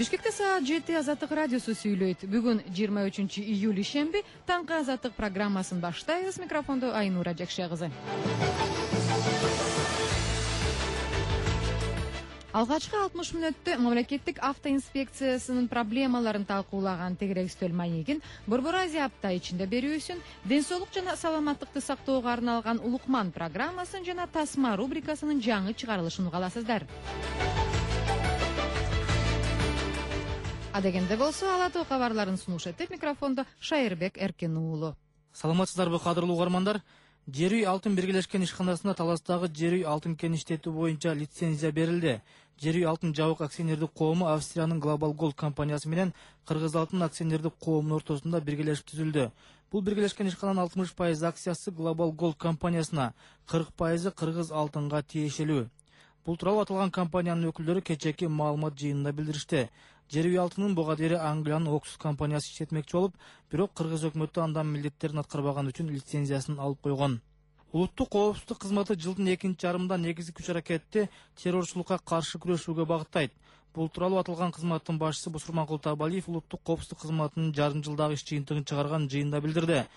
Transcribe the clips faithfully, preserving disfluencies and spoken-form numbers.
Бишкекте саат жети Азаттык радиосу сүйлөйт. Бүгүн жыйырма үчүнчү июль ишемби, таңкы Азаттык программасын баштайбыз. Микрофондо Айнура Жакшы кызы. Алгачкы алтымыш мүнөттө мамлекеттик автоинспекциясынын проблемаларын талкуулаган тегерек үстөл маегин Борбор Азия апта ичинде берүүсүн, ден соолук жана саламаттыкты сактоого арналган Улукман программасын жана Тасма рубрикасынын жаңы чыгарылышын угаласыздар. Адегенде болсо ала тоо кабарларын сунуш этип микрофондо Шайырбек Эркен уулу. Саламатсыздарбы кадырлуу угармандар? Жер үй алтын биргелешкен ишканасына Таластагы жер үй алтын кен иштетүү боюнча лицензия берилди. Жер үй алтын жабык акционердик коому Австриянын Global Gold компаниясы менен Кыргыз алтын акционердик коомунун ортосунда биргелешип түзүлдү. Бул биргелешкен ишкананын алтымыш пайыз акциясы Global Gold компаниясына, кырк пайызы Кыргыз алтынга тиешелүү. Бул тууралуу аталган компаниянын өкүлдөрү кечээки маалымат жыйынында билдиришти. Жер үй алтынын буга дейин Англиянын Оксус компаниясы иштетмекчи болуп, бирок Кыргыз өкмөтү андан милдеттерин аткарбаган үчүн лицензиясын алып койгон. Улуттук коопсуздук кызматы жылдын экинчи жарымында негизги күч-аракетти террорчулукка каршы күрөшүүгө багыттайт. Бул тууралуу аталган кызматтын башчысы Бусурманкул Табалиев улуттук коопсуздук кызматынын жарым жылдагы иш жыйынтыгын чыгарган жыйында билдирди.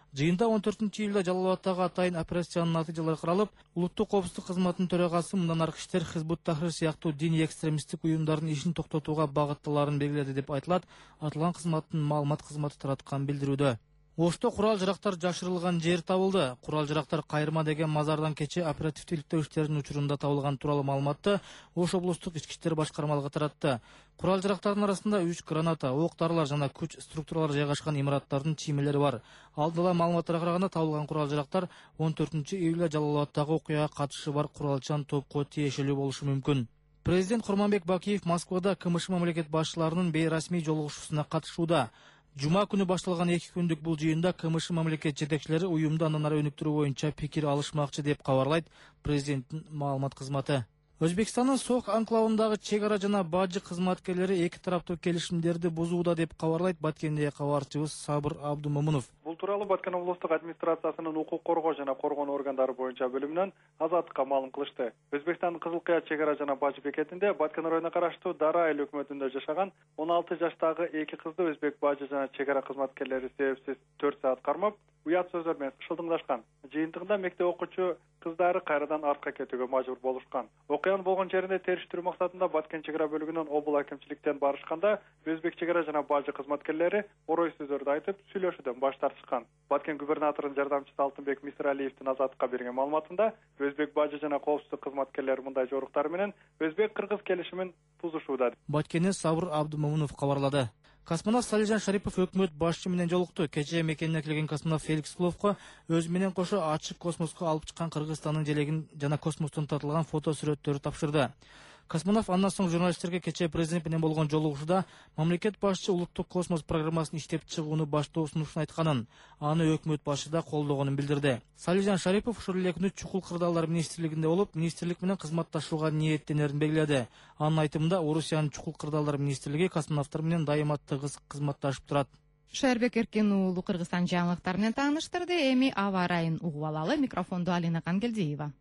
Жыйында он төртүнчү июлда Жалал Абадтагы атайын операциянын натыйжалары каралып, улуттук коопсуздук кызматынын төрагасы мындан аркы иштер Хизбут Тахрир сыяктуу диний экстремисттик уюмдардын ишин токтотууга багытталарын белгиледи деп айтылат. Аталган кызматтын маалымат кызматы тараткан билдирүүдө. Ошто курал жарактар жашырылган жер табылды. Курал жарактар Кайырма деген мазардан кече оперативдик иликтөө иштеринин учурунда табылган тууралуу маалыматты Ош облустук ички иштер башкармалыгы таратты. Курал жарактардын арасында үч граната, ок-дарылар жана күч структуралары жайгашкан имараттардын чиймелери бар. Алдыла маалыматтарга караганда табылган курал жарактар он төртүнчү июлда Жалал Абадтагы окуяга катышы бар куралчан топко тиешелүү болушу мүмкүн. Президент Курманбек Бакиев Москвада КМШ мамлекет башчыларынын бейрасмий жолугушуусуна катышууда. Жума күнү башталган эки күндүк бул жыйында КМШ мамлекет жетекчилери уюмду андан ары өнүктүрүү боюнча пикир алышмакчы деп кабарлайт президенттин маалымат кызматы. Өзбекстандын Сок анклавындагы чек ара жана бажы кызматкерлери эки тараптуу келишимдерди бузууда деп кабарлайт Баткендеги кабарчыбыз Сабыр Абдумомунов. Бул тууралуу Баткен облустук администрациясынын укук коргоо жана коргонуу органдары боюнча бөлүмүнөн Азаттыкка маалым кылышты. Өзбекстандын Кызыл Кыя чек ара жана бажы бекетинде Баткен районуна караштуу Дара айыл өкмөтүндө жашаган он алты жаштагы эки кызды өзбек бажы жана чек ара кызматкерлери себепсиз төрт саат кармап, уят сөздөр менен шылдыңдашкан. Жыйынтыгында мектеп окуучу кыздары кайрадан артка кетүүгө мажбур болушкан. Окуянын болгон жеринде териштирүү максатында Баткен чек ара бөлүгүнөн обул акимчиликтен барышканда өзбек чек ара жана бажы кызматкерлери орой сөздөрдү айтып сүйлөшүүдөн баш тартышкан. Баткен губернаторунун жардамчысы Алтынбек Мисиралиевдин Азаттыкка берген маалыматында өзбек бажы жана коопсуздук кызматкерлери мындай жоруктар менен өзбек-кыргыз келишимин бузушууда. Баткенден Сабыр Абдумомунов кабарлады. Космонавт Салижан Шарипов өкмөт башчы менен жолукту. Кечээ мекенине келген космонавт Феликс Кловко өзү менен кошо ачык космоско алып чыккан Кыргызстандын желегин жана космостон тартылган фото сүрөттөрү тапшырды. Космонавт андан соң журналисттерге кечээ президент менен болгон жолугушууда мамлекет башчы улуттук космос программасын иштеп чыгууну баштоо сунушун айтканын, аны өкмөт башы да колдогонун билдирди. Салижан Шарипов ушул эле күнү Чукул кырдаалдар министрлигинде болуп, министрлик менен кызматташууга ниеттенерин белгиледи. Анын айтымында Орусиянын Чукул кырдаалдар министрлиги космонавттар менен дайыма тыгыз кызматташып турат. Шайырбек Эркен уулу Кыргызстан жаңылыктары менен тааныштырды. Эми аба ырайын угуп алалы. Микрофондо Алина Кангелдиева.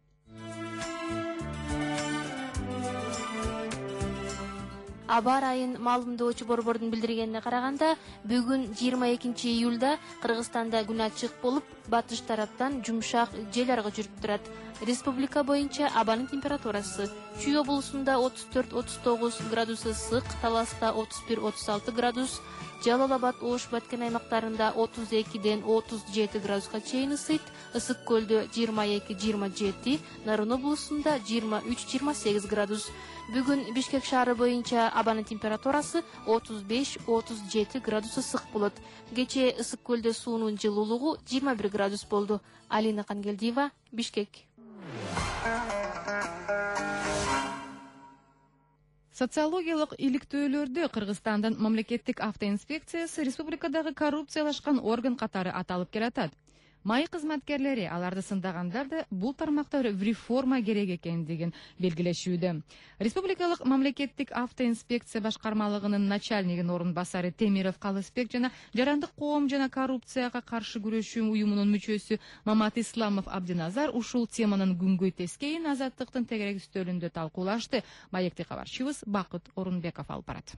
Аба ырайын маалымдоочу борбордун билдиргенине караганда, бүгүн жыйырма экинчи июлда Кыргызстанда күн ачык болуп, батыш тараптан жумшак жел аргы жүрүп турат. Республика боюнча абанын температурасы: Чүй облусунда отуз төрт отуз тогуз градус ысык, Таласта отуз бир отуз алты градус, Жалал Абад, Ош, Баткен аймактарында отуз экиден отуз жети градуска чейин ысыйт, Ысык көлдө жыйырма эки жыйырма жети, Нарын облусунда жыйырма үч жыйырма сегиз градус. Бүгүн Бишкек шаары боюнча абанын температурасы отуз беш отуз жети градус ысык болот. Кечээ Ысык көлдө суунун жылуулугу жыйырма бир градус болду. Алина Кангелдиева, Бишкек. Социологиялык иликтөөлөрдө Кыргызстандын мамлекеттик автоинспекциясы республикадагы коррупциялашкан орган катары аталып келатат. Май кызматкерлери аларды сындагандар да бул тармакта реформа керек экендигин белгилешүүдө. Республикалык мамлекеттик автоинспекция башкармалыгынын начальнигинин орун басары Темиров Калысбек жана Жарандык коом жана коррупцияга каршы күрөшүү уюмунун мүчөсү Мамат Исламов Абдиназар ушул теманын күнгөй тескейин Азаттыктын тегерек үстөлүндө талкуулашты. Маекти кабарчыбыз Бакыт Орунбеков алып барат.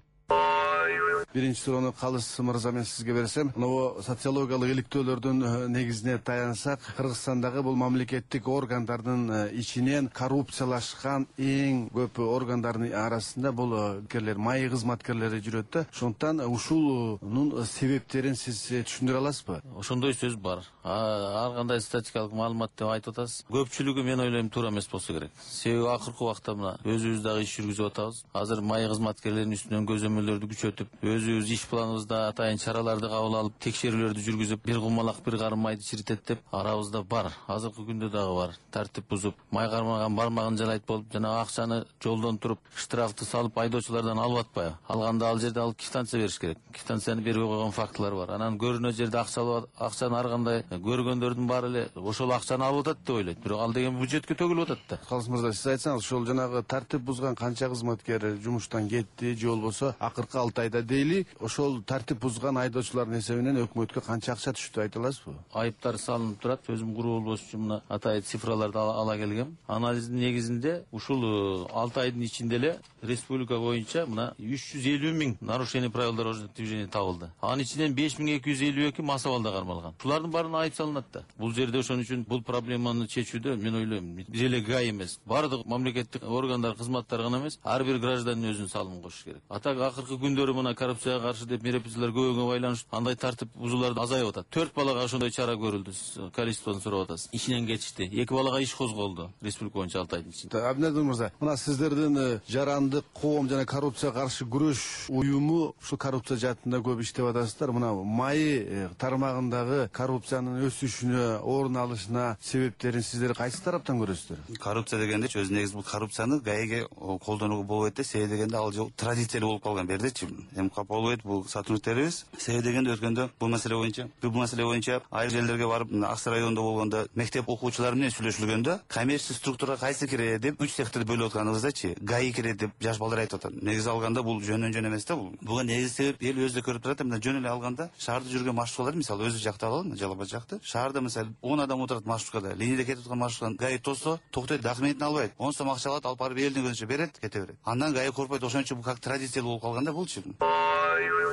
Биринчи суроону Калыс мырза мен сизге берсем, мына социологиялык иликтөөлөрдүн негизине таянсак, Кыргызстандагы бул мамлекеттик органдардын ичинен коррупциялашкан эң көп органдардын арасында бул керлер май кызматкерлери жүрөт да. Ошондуктан ушунун себептерин сиз түшүндүрө аласызбы? Ошондой сөз бар. Ар кандай статистикалык маалымат деп айтып атасыз. Көпчүлүгү мен ойлойм туура эмес болсо керек. Себеби акыркы убакта мына өзүбүз дагы иш жүргүзүп атабыз. Азыр май кызматкерлеринин үстүнөн көзөмөлдөрдү күчөтүп, өзүбүз иш планыбызда атайын чараларды кабыл алып, текшерүүлөрдү жүргүзүп, бир кумалак бир карым майды чиритет деп арабызда бар. Азыркы күндө дагы бар. Тартип бузуп, май кармаган бармагын жалайт болуп, жана акчаны жолдон туруп, штрафты салып, айдоочулардан алып атпайбы? Алганда ал жерде алып квитанция бериш керек. Квитанцияны бербей койгон фактылар бар. Анан көрүнө жерде акча алып акчаны ар кандай көргөндөрдүн баары эле ошол акчаны алып атат деп ойлойт. Бирок ал деген бюджетке төгүлүп атат да. Калыс мырза, сиз айтсаңыз, ошол жанагы тартип бузган канча кызматкер жумуштан кетти, же болбосо акыркы алты айда дейли, ошол тартип бузган айдоочулардын эсебинен өкмөткө канча акча түштү айта аласызбы? Айыптар салынып турат. Өзүм курулуш үчүн мына атайын цифраларды ала келгем. Анализдин негизинде ушул алты айдын ичинде эле республика боюнча мына үч жүз элүү миң нарушение правил дорожного движения табылды. Анын ичинен беш миң эки жүз элүү эки мас абалда кармалган. Булардын баарына айып салынат да. Бул жерде ошон үчүн бул проблеманы чечүүдө мен ойлойм, бир эле ГАИ эмес, баардык мамлекеттик органдар кызматтары гана эмес, ар бир гражданин өзүнүн салымын кошуш керек. Атак акыркы күндөрү мына коррупцияга каршы деп мероприятиялар көбөйгөнгө байланыштуу андай тартип бузуулар азайып атат. төрт балага ошондой чара көрүлдү. Количествону сурап атасыз. Ишинен кетишти. эки балага иш козголду. Республика боюнча алты айдын ичинде. Абдиназар мырза, мына сиздердин Жарандык коом жана коррупцияга каршы күрөш уюму ушул коррупция жаатында көп иштеп атасыздар. Мына май тармагындагы коррупциянын өсүшүнө, орун алышына себептерин сиздер кайсы тараптан көрөсүздөр? Коррупция дегенде өзү негизи бул коррупцияны ГАИге колдонууга болбойт да. Себеби дегенде ал жол традициялуу болуп калган бердичи. Эми болбойт бул сотрудниктерибиз. Себеби дегенде өткөндө бул маселе боюнча, бул маселе боюнча айыл жерлерге барып, Аксы районунда болгондо мектеп окуучулары менен сүйлөшүлгөндө, коммерческий структурага кайсы кирет деп үч секторду бөлүп атканыбыздачы, ГАИ кирет деп жаш балдар айтып атат. Негизи алганда бул жөндөн жөн эмес да бул. Буга негизи себеп эл өзү көрүп турат. Мына жөн эле алганда шаарда жүргөн маршруткалар, мисалы өзү жакта алалы, Жалал Абад жакты. Шаарда мисалы он адам отурат маршруткада, линияда кетип аткан маршрутканы ГАИ тосо, токтойт, документин албайт. он сом акча алат, алып барып элдин көзүнчө берет, кете берет. Андан ГАИ коркпойт. Ошон үчүн бул как традициялуу болуп калганда булчу.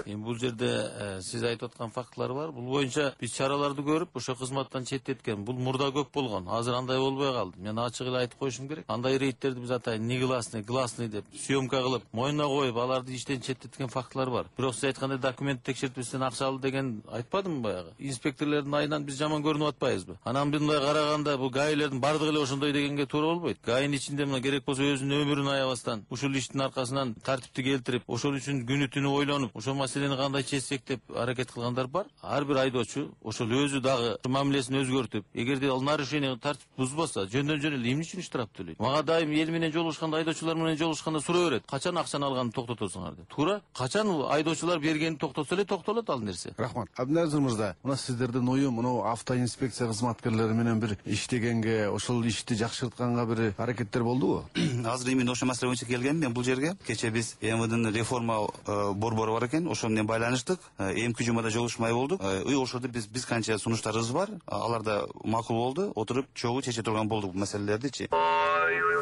Эми бул жерде сиз айтып аткан фактылар бар. Бул боюнча биз чараларды көрүп, ошо кызматтан четтеткен. Бул мурда көп болгон. Азыр андай болбой калды. Мен ачык эле айтып коюшум керек. Андай рейдтерди биз атайын негласный, гласный деп съемка кылып, мойнуна коюп, аларды иштен четтеткен фактылар бар. Бирок сиз айткандай документ текшертпестен акча алды деген айтпадымбы баягы? Инспекторлордун айынан биз жаман көрүнүп атпайбызбы? Анан мындай караганда бул ГАИлердин бардыгы эле ошондой дегенге туура болбойт. ГАИнин ичинде мына керек болсо өзүнүн өмүрүн аябастан ушул иштин аркасынан тартипти келтирип, ошол үчүн күнү түнү ойлонуп, ошол маселени кандай чечсек деп аракет кылгандар бар. Ар бир айдоочу ошол өзү дагы мамилесин өзгөртүп, эгерде ал нарушение тартип бузбаса, жөндөн жөн эле эмне үчүн штраф төлөйт? Мага дайым эл менен жолугушканда, айдоочулар менен жолугушканда суроо берет. Качан акчаны алганды токтотосуңар деп. Туура? Качан айдоочулар бергенин токтотсо эле токтолот ал нерсе. Рахмат. Абдиназар мырза, мына сиздердин уюм мына автоинспекция кызматкерлери менен бир иштегенге, ошол ишти жакшыртканга бир аракеттер болдубу? Азыр именно ошол маселе боюнча келгем мен бул жерге. Кече биз МВДнын реформа борбору бар экен, ошону менен байланыштык. Эмки жумада жолугушмай болдук. И ошодо биз биз канча сунуштарыбыз бар, аларда макул болду. Отуруп чогуу чече турган болдук бул маселелердичи.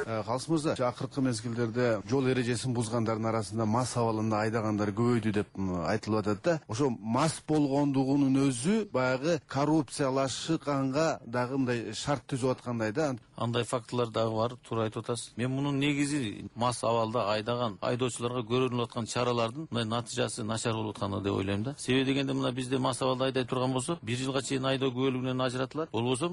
Калыс мырза, акыркы мезгилдерде жол эрежесин бузгандардын арасында мас абалында айдагандар көбөйдү деп айтылып атат да. Ошо мас болгондугунун өзү баягы коррупциялашканга дагы мындай шарт түзүп аткандай да. Андай фактылар дагы бар, туура айтып атасыз. Мен мунун негизи мас абалда айдаган айдоочуларга көрүнүп аткан чаралардын мындай натыйжасы начар болуп атканы деп ойлойм да. Себеби дегенде мына бизде мас абалда айдай турган болсо, бир жылга чейин айдоо күбөлүгүнөн ажыратылат. Болбосо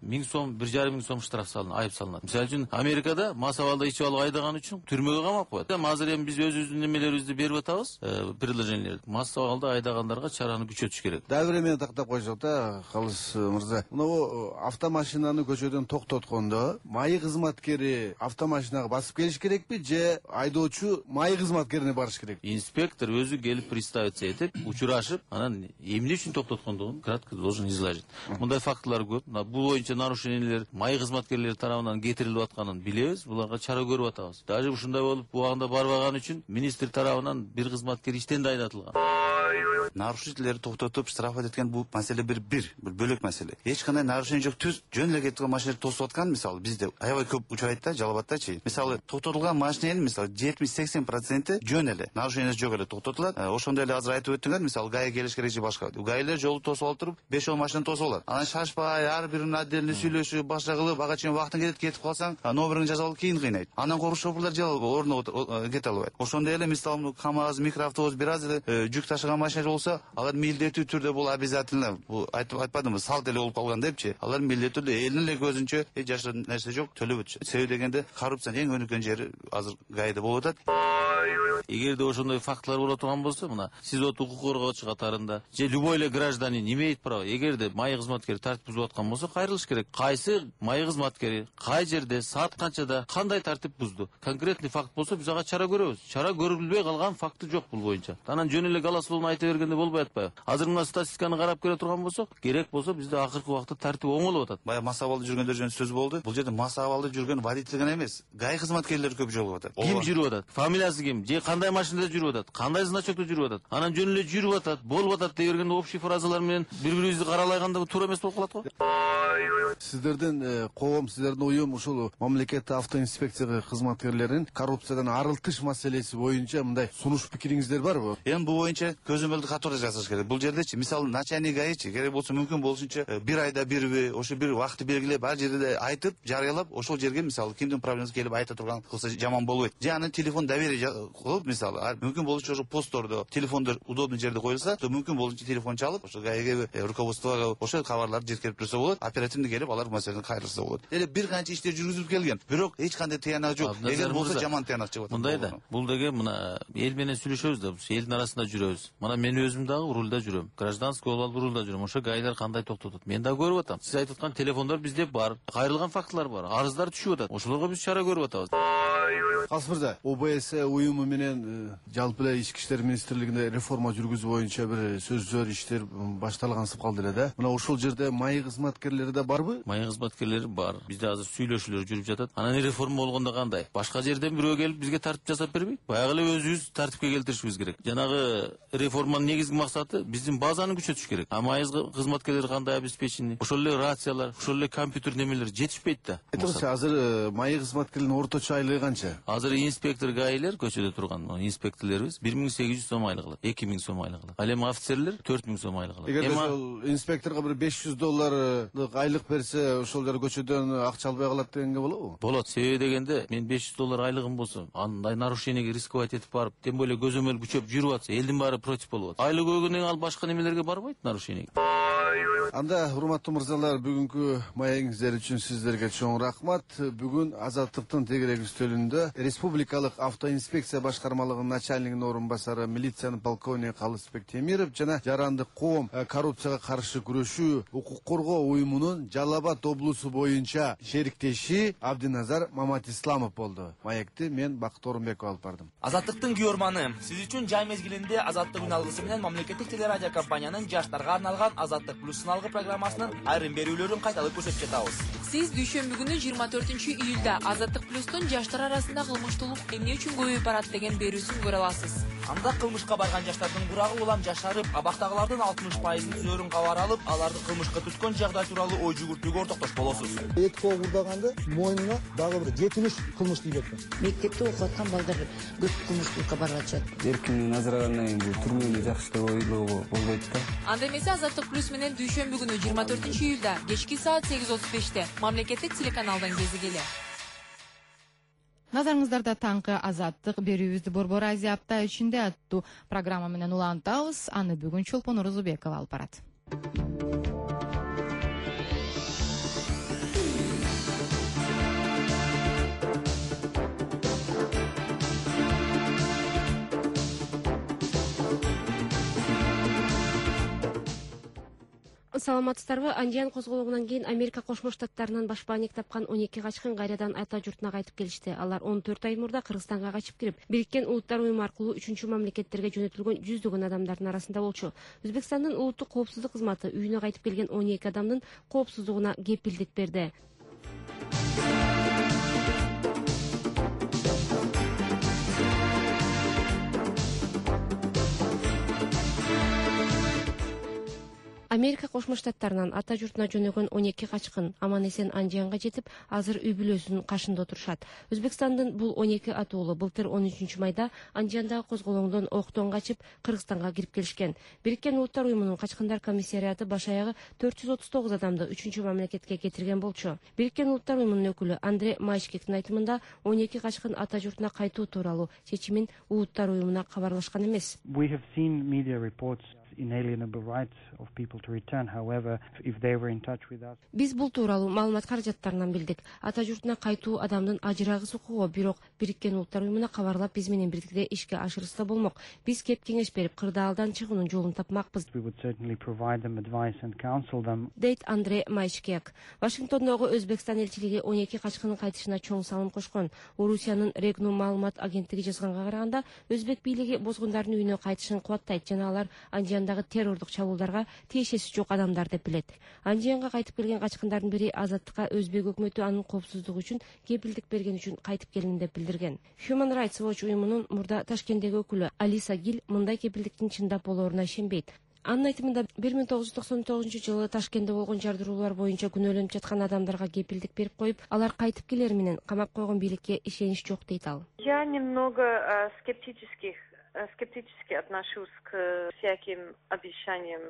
миң сом, бир жарым миң сом штраф салынат, айып салынат. Мисалы үчүн Америка Америкада мас абалда ичип алып айдаган үчүн түрмөгө камап коет. Эми азыр эми биз өзүбүздүн немелерибизди берип атабыз, предложениялерди. Мас абалда айдагандарга чараны күчөтүш керек. Дагы бир эмени тактап койсок да, Калыс мырза. Мына автомашинаны көчөдөн токтоткондо майы кызматкери автомашинага басып келиш керекпи же айдоочу майы кызматкерине барыш керек? Инспектор өзү келип представиться этип, учурашып, анан эмне үчүн токтоткондугун кратко должен изложить. Мындай фактылар көп. Бул боюнча нарушениялер майы кызматкерлери тарабынан кетирилип атканын билебиз, буларга чара көрүп атабыз. Даже ушундай болуп убагында барбаган үчүн министр тарабынан бир кызматкер иштен да айдатылган. Нарушителерди токтотуп штрафат эткен бул маселе бир бир бир бөлөк маселе. Эч кандай нарушение жок, түз жөн эле кетип машиналарды тосуп аткан, мисалы бизде аябай көп учурайт да, Жалал-Абаддачы. Мисалы токтотулган машинанын мисалы жетимиш сексен проценти жөн эле, нарушениеси жок эле токтотулат. Ошондой эле азыр айтып өттүңөр, мисалы ГАИ келиш керек же башка. ГАИлер жолду тосуп алып туруп, беш он машинаны тосуп алат. Анан шашпай, ар бирин отдельно сүйлөшүп, башка кылып, ага чейин вактың кетип кетип калсаң, номерин жазып алып кийин кыйнайт. Анан коруш шоферлор же ордуна кете албайт. Ошондой эле мисалы КамАЗ, микроавтобус бир аз эле жүк ташыган машина болсо, алар милдеттүү түрдө бул обязательно, бул айтып атпадымбы, салт эле болуп калган депчи. Алар милдеттүү түрдө элдин эле көзүнчө эч жашырын нерсе жок, төлөп өтүшөт. Себеби дегенде коррупциянын эң өнүккөн жери азыр ГАИде болуп атат. Эгерде ошондой фактылар боло турган болсо, мына сиз от укук коргоочу катарында же любой эле гражданин имеет право, эгерде майы кызматкери тартип бузуп аткан болсо, кайрылыш керек. Кайсы майы кызматкери кай жерде, саат канчада, кандай тартип бузду? Конкретный факт болсо, биз ага чара көрөбүз. Чара көрүлбөй калган факты жок бул боюнча. Анан жөн эле галас-лоуну айта бергенде болбой атпайбы? Азыр мына статистиканы карап көрө турган болсок, керек болсо бизде акыркы убакта тартип оңолуп атат. Баягы мас абалда жүргөндөр жөнүндө сөз болду. Бул жерде мас абалда жүргөн водитель гана эмес, ГАИ кызматкерлери көп жолугуп атат. Ким жүрүп атат? Фамилиясы ким? Же кандай машинада жүрүп атат? Кандай значокто жүрүп атат? Анан жөн эле жүрүп атат, болуп атат дей бергенде общий фразалар менен бири-бирибизди каралаганда туура эмес болуп калат го. Сиздердин коом, сиздердин уюм ушул мамлекеттик автоинспекция кызматкерлеринин коррупциядан арылтыш маселеси боюнча мындай сунуш пикириңиздер барбы? Эми бул боюнча көзөмөлдү катары жасаш керек. Бул жердечи, мисалы, начальник ГАИчи керек болсо мүмкүн болушунча бир айда бирби, ошо бир вакытты белгилеп, ар жерде айтып, жарыялап, ошол жерге мисалы кимдин проблемасы келип айта турган кылса жаман болбойт. Же анын телефон доверие кылып, мисалы, мүмкүн болушунча ошо посттордо, телефондор удобный жерде коюлса, мүмкүн болушунча телефон чалып, ошо ГАИге, руководствого ошо кабарларды жеткирип турса болот, оперативно келип алар маселени кайрылса болот. Эле бир канча иштер жүргүзүлүп келген, бирок эч кандай тыянак жок. Эгер болсо жаман тыянак чыгып атат. Мындай да, бул деген мына эл менен сүйлөшөбүз да, элдин арасында жүрөбүз. Мына мен өзүм дагы рулда жүрөм. Гражданский болуп алып рулда жүрөм. Ошо ГАИлер кандай токтотот? Мен дагы көрүп атам. Сиз айтып аткан телефондор бизде бар, кайрылган фактылар бар, арыздар түшүп атат. Ошолорго биз чара көрүп атабыз. Калыс мырза, ОБС уюму менен жалпы эле Ички иштер министрлигинде реформа жүргүзүү боюнча бир сөздөр, иштер башталгансып калды эле да. Мына ошол жерде майы кызматкерлери да барбы? Майы кызматкерлери бар. Бизде азыр сүйлөшүүлөр жүрүп жатат. Анан реформа болгондо кандай? Башка жерден бирөө келип бизге тартип жасап бербейт. Баягы эле өзүбүз тартипке келтиришибиз керек. Жанагы реформанын негизги максаты биздин базаны күчөтүш керек. А майы кызматкерлери кандай обеспечение? Ошол эле рациялар, ошол эле компьютер немелер жетишпейт да. Айтыңызчы, азыр майы кызматкеринин орточо айлыгы канча? Азыр инспектор ГАИлер көчөдө турган инспекторлорубуз бир миң сегиз жүз сом айлык алат, эки миң сом айлык алат. Ал эми офицерлер төрт миң сом айлык алат. Эгер ошол инспекторго бир беш жүз долларлык айлык берсе, ошол жер көчөдөн акча албай калат дегенге болобу? Болот. Себеби дегенде, мен беш жүз доллар айлыгым болсо, андай нарушениеге рисковать этип барып, тем более көзөмөл күчөп жүрүп атса, элдин баары против болуп атат. Айлык өгүнөн ал башка немелерге барбайт нарушениеге. Анда, урматтуу мырзалар, бүгүнкү маегиңиздер үчүн сиздерге чоң рахмат. Бүгүн Азаттыктын тегерек үстөлүндө Республикалык автоинспекция башкармалыгынын начальнигинин орун басары милициянын полковниги Калысбек Темиров жана Жарандык коом коррупцияга каршы күрөшүү укук коргоо уюмунун Жалал Абад облусу боюнча шериктеши Абдиназар Маматисламов болду. Маекти мен Бакыт Орунбеков алып бардым. Азаттыктын күйөрманы, сиз үчүн жай мезгилинде Азаттык күн алгысы менен мамлекеттик телерадио компаниянын жаштарга арналган Азаттык плюс сыналгы программасынын айрым берүүлөрүн кайталап көрсөтүп жатабыз. Сиз дүйшөмбү күнү жыйырма төртүнчү июлда Азаттык плюстун жаштар арасында кылмыштуулук эмне үчүн көбөйүп барат деген берүүсүн көрө аласыз. Анда кылмышка барган жаштардын курагы улам жашарып, абактагылардын алтымыш пайызын зөөрүн кабар алып, аларды кылмышка түткөн жагдай тууралуу ой жүгүртүүгө ортоктош болосуз. Эки кол курдаганда мойнуна дагы бир жетимиш кылмыш тийип кеткен. Мектепте окуп аткан балдар көп кылмыштуулукка барып атышат. Эркиндигин ажырагандан кийин бул түрмөнү жакшы ойлоого болбойт да. Анда эмесе Азаттык плюс менен дүйшөмбү күнү жыйырма төртүнчү июлда кечки саат сегиз отуз беште мамлекеттик телеканалдан кезигели. Назарыңыздарда таңкы Азаттык берүүбүздү Борбор Азия апта ичинде аттуу программа менен улантабыз. Аны бүгүн Чолпон Орозубекова алып барат. саламатсыздарбы? Анжан козголугунан кийин Америка Кошмо Штаттарынан баш бааник тапкан он эки качкын кайрадан ата журтуна кайтып келишти. Алар он төрт ай мурда Кыргызстанга качып кирип, Бириккен Улуттар уюму аркылуу үчүнчү мамлекеттерге жөнөтүлгөн жүздөгөн адамдардын арасында болчу. Өзбекстандын улуттук коопсуздук кызматы үйүнө кайтып келген он эки адамдын коопсуздугуна кепилдик берди. Америка Кошмо Штаттарынан ата журтуна жөнөгөн он эки качкын аман эсен Анжанга жетип, азыр үй бүлөсүнүн кашында отурушат. Өзбекстандын бул он эки атуулу былтыр он үчүнчү майда Анжандагы козголоңдон октон качып Кыргызстанга кирип келишкен. Бириккен Улуттар уюмунун качкындар комиссариаты баш аягы төрт жүз отуз тогуз адамды үчүнчү мамлекетке кетирген болчу. Бириккен Улуттар уюмунун өкүлү Андре Майшкектин айтымында он эки качкын ата журтуна кайтуу тууралуу чечимин Улуттар уюмуна кабарлашкан эмес. We have seen media reports inalienable rights of people to return. However, if they were in touch with us. Биз бул тууралуу маалымат каражаттарынан билдик. Ата журтуна кайтуу адамдын ажырагыс укугу, бирок Бириккен Улуттар уюмуна кабарлап биз менен бирдикте ишке ашырса болмок. Биз кеп кеңеш берип, кырдаалдан чыгуунун жолун тапмакпыз. We would certainly provide them advice and counsel them. Дейт Андре Майшкек. Вашингтондогу Өзбекстан элчилиги он эки качкынын кайтышына чоң салым кошкон. Орусиянын Регнум маалымат агенттиги жазганга караганда, өзбек бийлиги бозгундардын үйүнө кайтышын кубаттайт жана алар Анжандагы террордук чабуулдарга тиешеси жок адамдар деп билет. Анжанга кайтып келген качкындардын бири Азаттыкка өзбек өкмөтү анын коопсуздугу үчүн кепилдик берген үчүн кайтып келдим деп билдирген. Human Rights Watch уюмунун мурда Ташкенттеги өкүлү Алиса Гил мындай кепилдиктин чындап болооруна ишенбейт. Анын айтымында бир миң тогуз жүз токсон тогузунчу жылы Ташкентте болгон жардыруулар боюнча күнөөлөнүп жаткан адамдарга кепилдик берип коюп, алар кайтып келери менен камап койгон бийликке ишенич жок дейт ал. Я немного скептических скептически отношусь к всяким обещаниям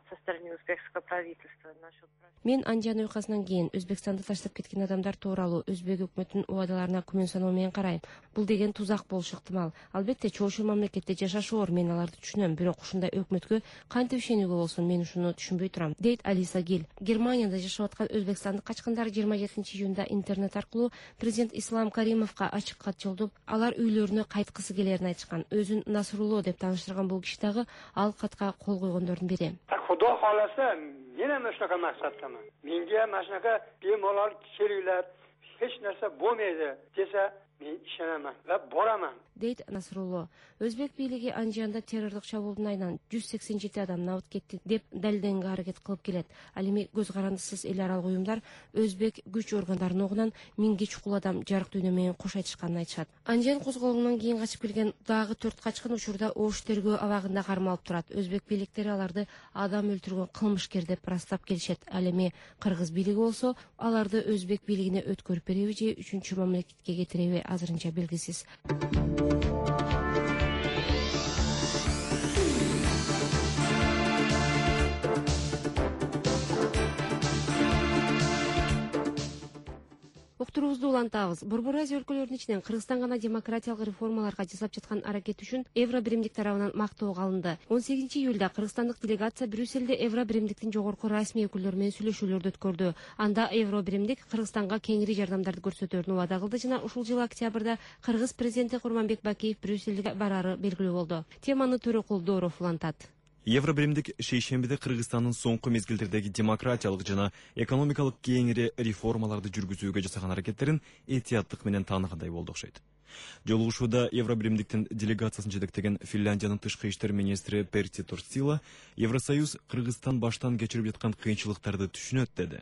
со стороны узбекского правительства насчет. Мен Анжан уйкасынан кийин Өзбекстанды таштап кеткен адамдар тууралуу өзбек өкмөтүнүн убадаларына күмөн саноо менен карайм. Бул деген тузак болушу ыктымал. Албетте, чоочу мамлекетте жашаш оор, мен аларды түшүнөм, бирок ушундай өкмөткө кантип ишенүүгө болсун, мен ушуну түшүнбөй турам, дейт Алиса Гил. Германияда жашап аткан өзбекстандык качкындар жыйырма жетинчи июнда интернет аркылуу президент Ислам Каримовго ачык кат жолдоп, алар үйлөрүнө кайткысы келерин айтышкан. Өзүн Насрулло деп тааныштырган бул киши дагы ал катка кол койгондордун бири. Xudo xolasa, men ham shunaqa maqsaddaman. Menga mana shunaqa bemalol kelinglar, hech narsa bo'lmaydi desa, men ishonaman va boraman, дейт Насрулло. Өзбек бийлиги Анжанда террордук чабуулдун айынан жүз сексен жети адам набыт кетти деп далилденүүгө аракет кылып келет. Ал эми көз карандысыз эл аралык уюмдар өзбек күч органдарынын огунан миңге чукул адам жарык дүйнө менен кош айтышканын айтышат. Анжан козголуңунан кийин качып келген дагы төрт качкын учурда ош тергөө абагында кармалып турат. Өзбек бийликтери аларды адам өлтүргөн кылмышкер деп ырастап келишет. Ал эми кыргыз бийлиги болсо аларды өзбек бийлигине өткөрүп береби же үчүнчү мамлекетке кетиреби азырынча белгисиз. Уктуруубузду улантабыз. Борбор Азия өлкөлөрүнүн ичинен Кыргызстан гана демократиялык реформаларга жасап жаткан аракет үчүн Евро биримдик тарабынан мактоого алынды. он сегизинчи июлда кыргызстандык делегация Брюссельде Евро биримдиктин жогорку расмий өкүлдөрү менен сүйлөшүүлөрдү өткөрдү. Анда Евро биримдик Кыргызстанга кеңири жардамдарды көрсөтөрүн убада кылды жана ушул жылы октябрда Кыргыз президенти Курманбек Бакиев Брюссельге барары белгилүү болду. Теманы Төрөкул Дооров улантат. Евро биримдик шейшембиде Кыргызстандын соңку мезгилдердеги демократиялык жана экономикалык кеңири реформаларды жүргүзүүгө жасаган аракеттерин этияттык менен тааныгандай болду окшойт. Жолугушууда Евро биримдиктин делегациясын жетектеген Финляндиянын тышкы иштер министри Перти Торстила Евросоюз Кыргызстан баштан кечирип жаткан кыйынчылыктарды түшүнөт деди.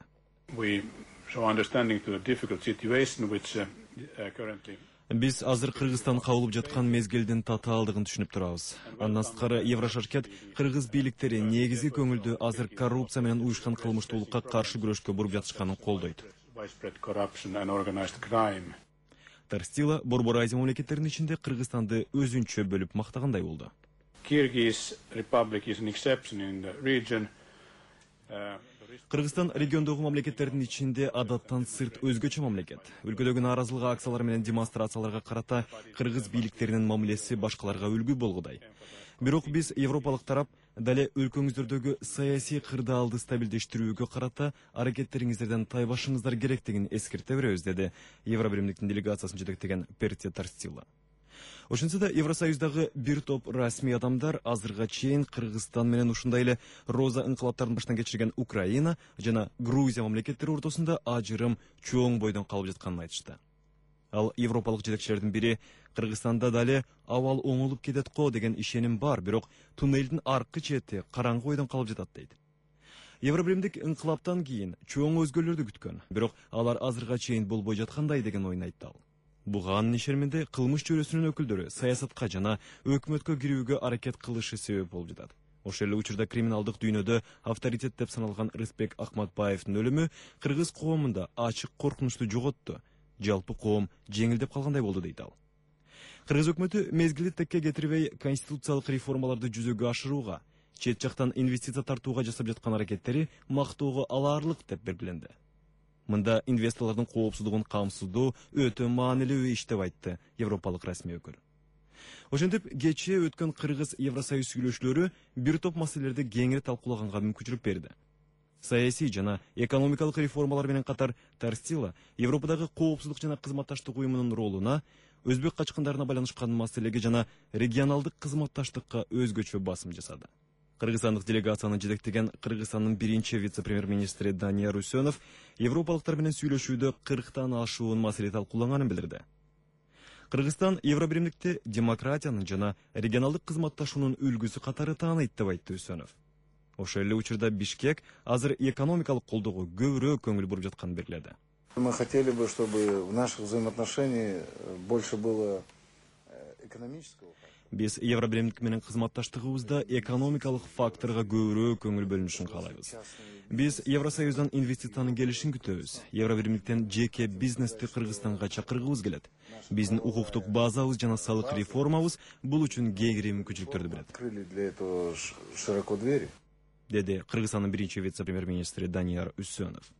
Биз азыр Кыргызстан кабылып жаткан мезгилдин татаалдыгын түшүнүп турабыз. Андан сырткары Еврошаркет кыргыз бийликтери негизги көңүлдү азыр коррупция менен уюшкан кылмыштуулукка каршы күрөшкө буруп жатышканын колдойт. Торстила Борбор Азия мамлекеттеринин ичинде Кыргызстанды өзүнчө бөлүп мактагандай болду. Кыргызстан региондогу мамлекеттердин ичинде адаттан сырт өзгөчө мамлекет. Өлкөдөгү нааразылык акциялар менен демонстрацияларга карата кыргыз бийликтеринин мамилеси башкаларга үлгү болгудай. Бирок биз европалык тарап дале өлкөңүздөрдөгү саясий кырдаалды стабилдештирүүгө карата аракеттериңиздерден тайбашыңыздар керектигин эскерте беребиз, деди Евро биримдиктин делегациясын жетектеген Перти Торстила. Ошентсе да Евросоюздагы бир топ расмий адамдар азырга чейин Кыргызстан менен ушундай эле роза ыңкылаптарын баштан кечирген Украина жана Грузия мамлекеттери ортосунда ажырым чоң бойдон калып жатканын айтышты. Ал европалык жетекчилердин бири Кыргызстанда дали абал оңолуп кетет го деген ишеним бар, бирок туннелдин аркы чети караңгы бойдон калып жатат дейт. Евробиримдик ыңкылаптан кийин чоң өзгөрүүлөрдү күткөн, бирок алар азырга чейин болбой жаткандай деген оюн айтты ал. Буга анын ишениминде кылмыш чөйрөсүнүн өкүлдөрү саясатка жана өкмөткө кирүүгө аракет кылышы себеп болуп жатат. Ошол эле учурда криминалдык дүйнөдө авторитет деп саналган Рысбек Акматбаевдин өлүмү кыргыз коомунда ачык коркунучту жоготту. Жалпы коом жеңилдеп калгандай болду дейт ал. Кыргыз өкмөтү мезгили текке кетирбей конституциялык реформаларды жүзөгө ашырууга, чет жактан инвестиция тартууга жасап жаткан аракеттери мактоого алаарлык деп белгиленди. Мында инвесторлордун коопсуздугун камсыздоо өтө маанилүү иш деп айтты европалык расмий өкүл. Ошентип, кечээ өткөн Кыргыз Евросоюз сүйлөшүүлөрү бир топ маселелерди кеңири талкуулаганга мүмкүнчүлүк берди. Саясий жана экономикалык реформалар менен катар Тарстила Европадагы коопсуздук жана кызматташтык уюмунун ролуна, өзбек качкындарына байланышкан маселеге жана регионалдык кызматташтыкка өзгөчө басым жасады. Кыргызстандык делегацияны жетектеген Кыргызстандын биринчи вице-премьер-министри Данияр Үсөнов европалыктар менен сүйлөшүүдө кырктан ашуун маселе талкуулаганын билдирди. Кыргызстан Евробиримдикти демократиянын жана регионалдык кызматташуунун үлгүсү катары тааныйт деп айтты Үсөнов. Ошол эле учурда Бишкек азыр экономикалык колдоого көбүрөөк көңүл буруп жатканын белгиледи. Мы хотели бы, чтобы в наших взаимоотношениях больше было экономического. Биз Евробиримдик менен кызматташтыгыбызда экономикалык факторго көбүрөөк көңүл бөлүнүшүн каалайбыз. Биз Евросоюздан инвестициянын келишин күтөбүз. Евробиримдиктен жеке бизнести Кыргызстанга чакыргыбыз келет. Биздин укуктук базабыз жана салык реформабыз бул үчүн кеңири мүмкүнчүлүктөрдү берет. Открыли для этого широко двери. Деди Кыргызстандын биринчи вице-премьер-министри Данияр Үсөнов.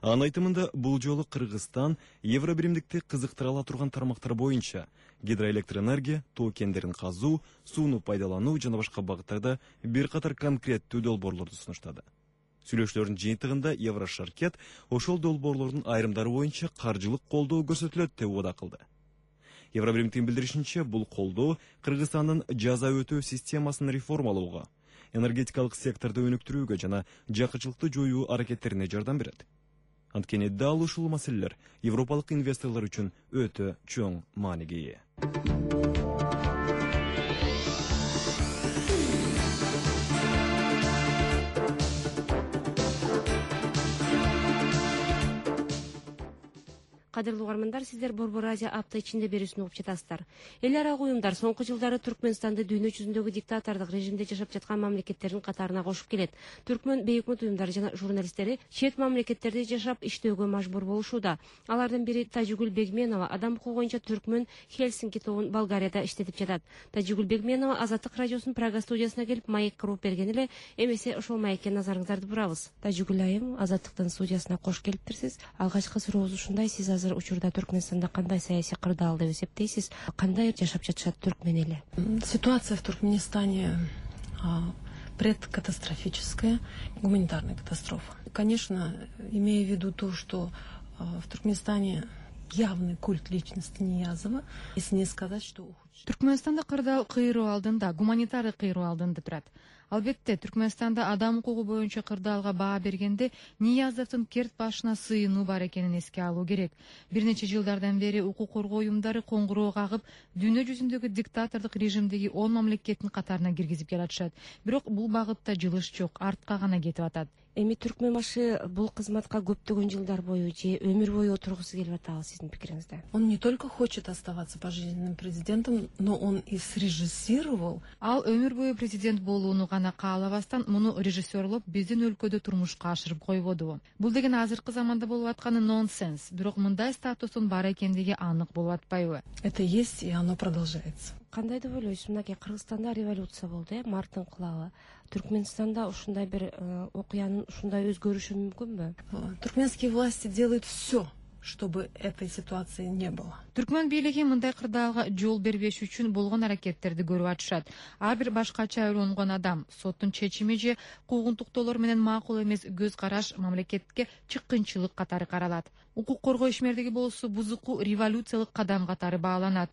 Анын айтымында бул жолу Кыргызстан Евробиримдикти кызыктыра ала турган тармактар боюнча гидроэлектроэнергия, тоо кендерин казуу, сууну пайдалануу жана башка багыттарда бир катар конкреттүү долбоорлорду сунуштады. Сүйлөшүүлөрдүн жыйынтыгында Еврошаркет ошол долбоорлордун айрымдары боюнча каржылык колдоо көрсөтүлөт деп убада кылды. Евробиримдиктин билдиришинче, бул колдоо Кыргызстандын жаза өтөө системасын реформалоого, энергетикалык секторду өнүктүрүүгө жана жакычылыкты жоюу аракеттерине жардам берет. Анткени дал ушул маселелер европалык инвесторлор үчүн өтө чоң мааниге ээ. Кадырлуу угармандар, сиздер Борбор Азия апта ичинде берүүсүн угуп жатасыздар. Эл ара уюмдар соңку жылдары Түркмөнстанды дүйнө жүзүндөгү диктатордук режимде жашап жаткан мамлекеттердин катарына кошуп келет. Түркмөн бейөкмөт уюмдары жана журналисттери чет мамлекеттерде жашап иштөөгө мажбур болушууда. Алардын бири Тажигүл Бегменова адам укугу боюнча Түркмөн Хельсинки тобун Болгарияда иштетип жатат. Тажигүл Бегменова Азаттык радиосунун Прага студиясына келип маекке уруп берген эле. Эмесе ошол маекке назарыңыздарды бурабыз. Тажигүл айым, Азаттыктын студиясына кош келиптирсиз. Алгачкы сурообуз ушундай: сиз азыр учурда Түркмөнстанда кандай саясий кырдаал деп эсептейсиз? Кандай жашап жатышат түркмөн эли? Ситуация в Туркменистане а, предкатастрофическая, гуманитарная катастрофа. Конечно, имея в виду то, что а, в Туркменистане явный культ личности Ниязова, если не сказать, что Түркмөнстанда кырдаал кыйроо алдында, гуманитарий кыйроо алдында турат. Албетте, Түркмөнстанда адам укугу боюнча кырдаалга баа бергенде Ниязовдун керт башына сыйынуу бар экенин эске алуу керек. Бир нече жылдардан бери укук коргоо уюмдары коңгуроо кагып, дүйнө жүзүндөгү диктатордук режимдеги он мамлекеттин катарына киргизип келатышат. Бирок бул багытта жылыш жок, артка гана кетип атат. Эми түркмөн башы бул кызматка көптөгөн жылдар бою же өмүр бою отургусу келип атабы сиздин пикириңизде? Он не только хочет оставаться пожизненным президентом, но он и срежиссировал. Ал өмүр бою президент болууну гана каалабастан муну режиссерлоп биздин өлкөдө турмушка ашырып койбоду. Бул деген азыркы заманда болуп атканы нонсенс. Бирок мындай статустун бар экендиги анык болуп атпайбы? Это есть, и оно продолжается. Кандай деп ойлойсуз? Мынакей Кыргызстанда революция болду, э, март инкылабы. Түркменстанда ушундай бир окуянын ушундай өзгөрүшү мүмкүнбү? Туркменские власти делают все, чтобы этой ситуации не было. Түркмөн бийлиги мындай кырдаалга жол бербеш үчүн болгон аракеттерди көрүп атышат. Ар бир башкача ойлонгон адам соттун чечими же куугунтуктоолор менен макул эмес көз караш мамлекетке чыккынчылык катары каралат. Укук коргоо ишмердиги болсо бузуку революциялык кадам катары бааланат.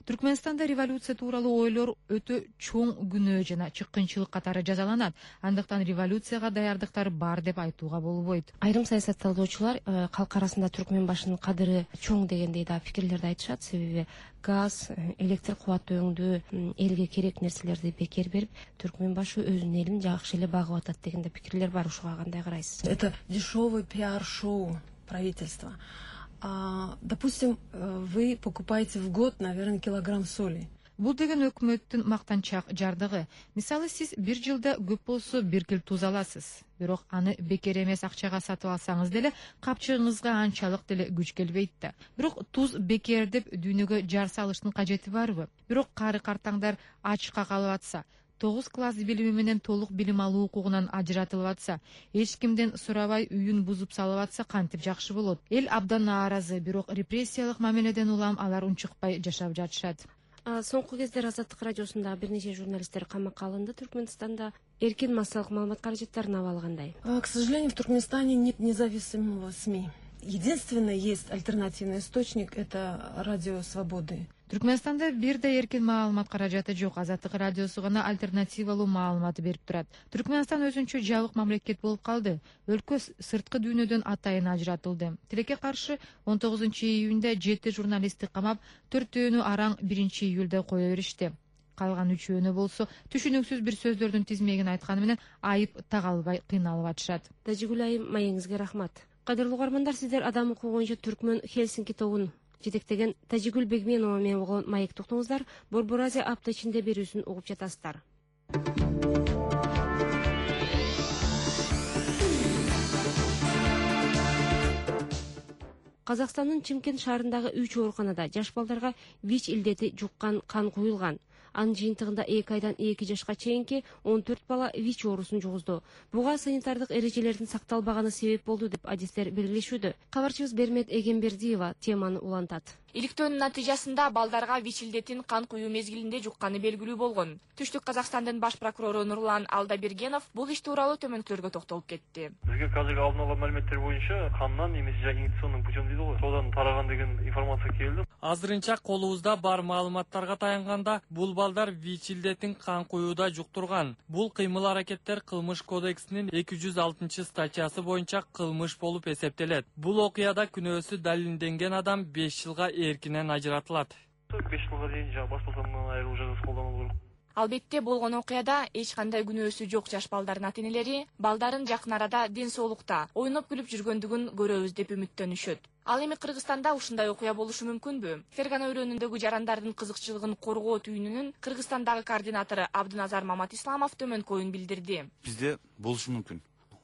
Түркменстанда революция тууралуу ойлор өтө чоң күнөө жана чыккынчылык катары жазаланат. Андыктан революцияга даярдыктар бар деп айтууга болбойт. Айрым саясатталуучулар калк арасында түркмен башынын кадыры чоң дегендей да пикирлерди айтышат. Себеби газ, электр кубаты өңдөө, элге керек нерселерди бекер берип, түркмен башы өзүнүн элин жакшы эле багып атат деген да пикирлер бар. Ушуга кандай карайсыз? Это дешевый пиар-шоу правительства. А, допустим, вы покупаете в год, наверное, килограмм соли. Бул деген өкмөттүн мактанчак жардыгы. Мисалы, сиз бир жылда көп болсо бир кил туз аласыз. Бирок аны бекер эмес акчага сатып алсаңыз деле капчыгыңызга анчалык деле күч келбейт да. Бирок туз бекер деп дүйнөгө жар салыштын кажети барбы? Бирок кары картаңдар ачка калып атса, тогуз класс билими менен толук билим алуу укугунан ажыратылып атса, эч кимден сурабай үйүн бузуп салып атса кантип жакшы болот? Эл абдан нааразы, бирок репрессиялык мамиледен улам алар унчукпай жашап жатышат. Соңку кездер Азаттык радиосунда бир нече журналисттер камакка алынды. Түркмөнстанда эркин массалык маалымат каражаттарынын абалы кандай? К сожалению, в Туркменистане нет независимого СМИ. Единственный есть альтернативный источник — это радио Свободы. Түркменстанда бир да эркин маалымат каражаты жок. Азаттык радиосу гана альтернативалуу маалымат берип турат. Түркменстан өзүнчө жабык мамлекет болуп калды. Өлкө сырткы дүйнөдөн атайын ажыратылды. Тилекке каршы он тогузунчу июнда жети журналистти камап, төртөөнү араң биринчи июлда кое беришти. Калган үчөөнү болсо түшүнүксүз бир сөздөрдүн тизмегин айтканы менен айып тага албай кыйналып атышат. Тажигүл айым, маегиңизге рахмат. Кадырлуу угармандар, сиздер адам укугу боюнча Түркмөн Хелсинки тобун жетектеген Тажигүл Бегменова менен болгон маек токтоңуздар Борбор Азия апта ичинде берүүсүн угуп жатасыздар. Казакстандын Чимкент шаарындагы үч ооруканада жаш балдарга ВИЧ илдети жуккан кан куюлган. Анын жыйынтыгында эки айдан эки жашка чейинки он төрт бала ВИЧ оорусун жугузду. Буга санитардык эрежелердин сакталбаганы себеп болду деп адистер белгилешүүдө. Кабарчыбыз Бермет Эгембердиева теманы улантат. Иликтөөнүн натыйжасында балдарга ВИЧ илдетин кан куюу мезгилинде жукканы белгилүү болгон. Түштүк Казакстандын баш прокурору Нурлан Алдабергенов бул иш тууралуу төмөнкүлөргө токтолуп кетти. Бизге азыр алдын ала маалыматтар боюнча кандан эмес инъекционный путем дейт го. Содан тараган деген информация келди. Азырынча колубузда бар маалыматтарга таянганда бул балдар ВИЧ илдетин кан куюуда жуктурган. Бул кыймыл аракеттер кылмыш кодексинин эки жүз алтынчы статьясы боюнча кылмыш болуп эсептелет. Бул окуяда күнөөсү далилденген адам беш жылга эркинен ажыратылат. беш жылга чейин жана баш бостандыгынан айыруу жазасы колдонулу керек. Албетте болгон окуяда эч кандай күнөөсү жок жаш балдардын ата-энелери балдарын жакын арада ден соолукта ойноп күлүп жүргөндүгүн көрөбүз деп үмүттөнүшөт. Ал эми Кыргызстанда ушундай окуя болушу мүмкүнбү? Фергана өрөөнүндөгү жарандардын кызыкчылыгын коргоо түйүнүнүн Кыргызстандагы координатору Абдыназар Маматисламов төмөнкү оюн билдирди. Бизде болушу мүмкүн.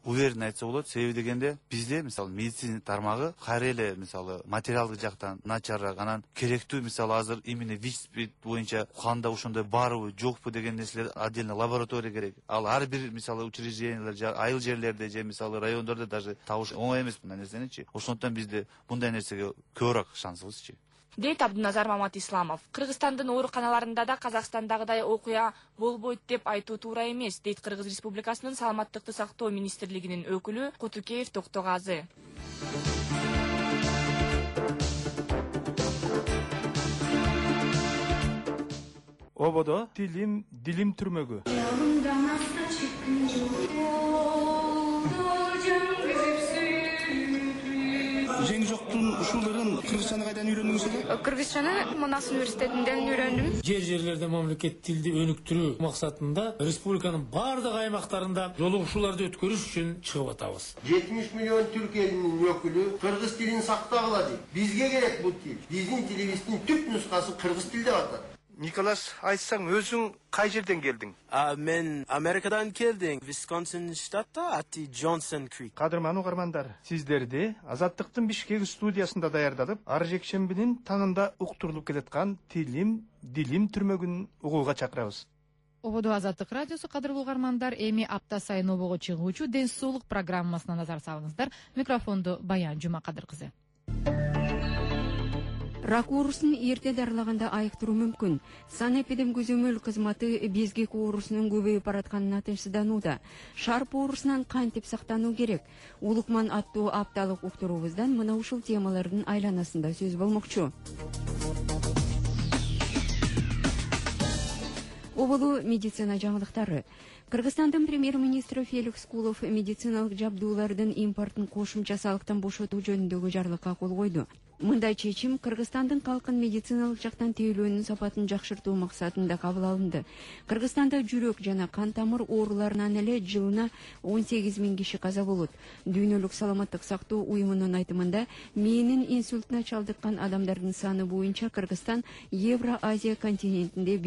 Уверен айтса болот. Себеби дегенде бизде мисалы медицина тармагы кайра эле мисалы материалдык жактан начарыраак, анан керектүү мисалы азыр именно ВИЧ боюнча канда ошондой барбы жокпу деген нерселер отдельно лаборатория керек. Ал ар бир мисалы учреждениялер, айыл жерлерде же мисалы райондордо даже табыш оңой эмес мындай нерсеничи. Ошондуктан бизде мындай нерсеге көбүрөөк шансыбызчы. Дейт Абдыназар Маматисламов. Кыргызстандын ооруканаларында да Казакстандагыдай окуя болбойт деп айтуу туура эмес, дейт Кыргыз Республикасынын саламаттыкты сактоо министрлигинин өкүлү Кутукеев Токтогазы. Ободо тилим дилим түрмөгү. Жеңи жоктун ушуларын кыргызчаны кайдан үйрөндүңүздөр? Кыргызчаны Манас университетинен үйрөндүм. Жер жерлерде мамлекет тилди өнүктүрүү максатында республиканын бардык аймактарында жолугушууларды өткөрүш үчүн чыгып атабыз. жетимиш миллион түрк элинин өкүлү кыргыз тилин сактагыла дейт. Бизге керек бул тил. Биздин тилибиздин түп нускасы кыргыз тил деп атат. Николас, айтсаң өзүң кай жерден келдиң? Мен Америкадан келдим. Висконсин штатта ати Джонсон Крик. Кадырман угармандар, сиздерди Азаттыктын Бишкек студиясында даярдалып, ар жекшембинин таңында уктурулуп келаткан Тилим, Дилим түрмөгүн угууга чакырабыз. Ободо Азаттык радиосу, кадырлуу угармандар, эми апта сайын обого чыгуучу ден соолук программасына назар салыңыздар. Микрофонду Баян Жумакадыр кызы. Рак оорусун эрте дарылаганда айыктыруу мүмкүн. Санэпидемкөзөмөл кызматы безгек оорусунун көбөйүп баратканына тынчсызданууда. Шарп оорусунан кантип сактануу керек? Улукман аттуу апталык уктуруубуздан мына ушул темалардын айланасында сөз болмокчу. Оболу медицина жаңылыктары. Кыргызстандын премьер-министри Феликс Кулов медициналык жабдуулардын импортун кошумча салыктан бошотуу жөнүндөгү жарлыкка кол койду. Мындай чечим Кыргызстандын калкын медициналык жактан тейлөөнүн сапатын жакшыртуу максатында кабыл алынды. Кыргызстанда жүрөк жана кан тамыр ооруларынан эле жылына он сегиз миң киши каза болот. Дүйнөлүк саламаттык сактоо уюмунун айтымында, мээнин инсультуна чалдыккан адамдардын саны боюнча Кыргызстан Евро-Азия континентинде